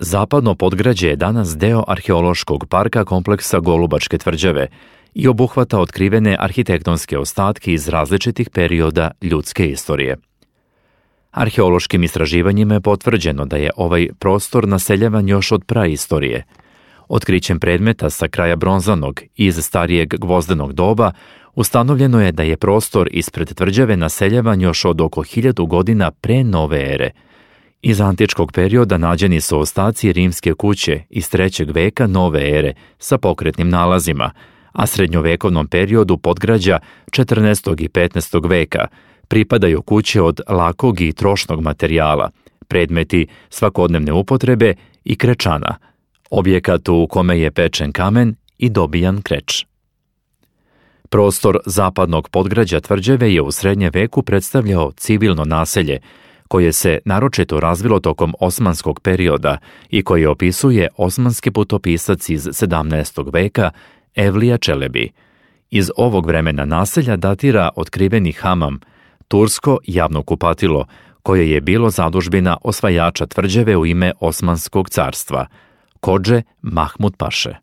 Zapadno podgrađe je danas deo arheološkog parka kompleksa Golubačke tvrđave i obuhvata otkrivene arhitektonske ostatke iz različitih perioda ljudske istorije. Arheološkim istraživanjima je potvrđeno da je ovaj prostor naseljavan još od praistorije. Otkrićem predmeta sa kraja bronzanog i iz starijeg gvozdenog doba ustanovljeno je da je prostor ispred tvrđave naseljavan još od oko 1000 godina pre nove ere. Iz antičkog perioda nađeni su ostaci rimske kuće iz 3. veka nove ere sa pokretnim nalazima, a srednjovekovnom periodu podgrađa 14. i 15. veka pripadaju kuće od lakog i trošnog materijala, predmeti svakodnevne upotrebe i krečana, objekat u kome je pečen kamen i dobijan kreč. Prostor zapadnog podgrađa tvrđave je u srednjem veku predstavljao civilno naselje, koje se naročito razvilo tokom osmanskog perioda i koje opisuje osmanski putopisac iz 17. veka Evlija Čelebi. Iz ovog vremena naselja datira otkriveni hamam, tursko javno kupatilo, koje je bilo zadužbina osvajača tvrđave u ime Osmanskog carstva, Kodže Mahmud Paše.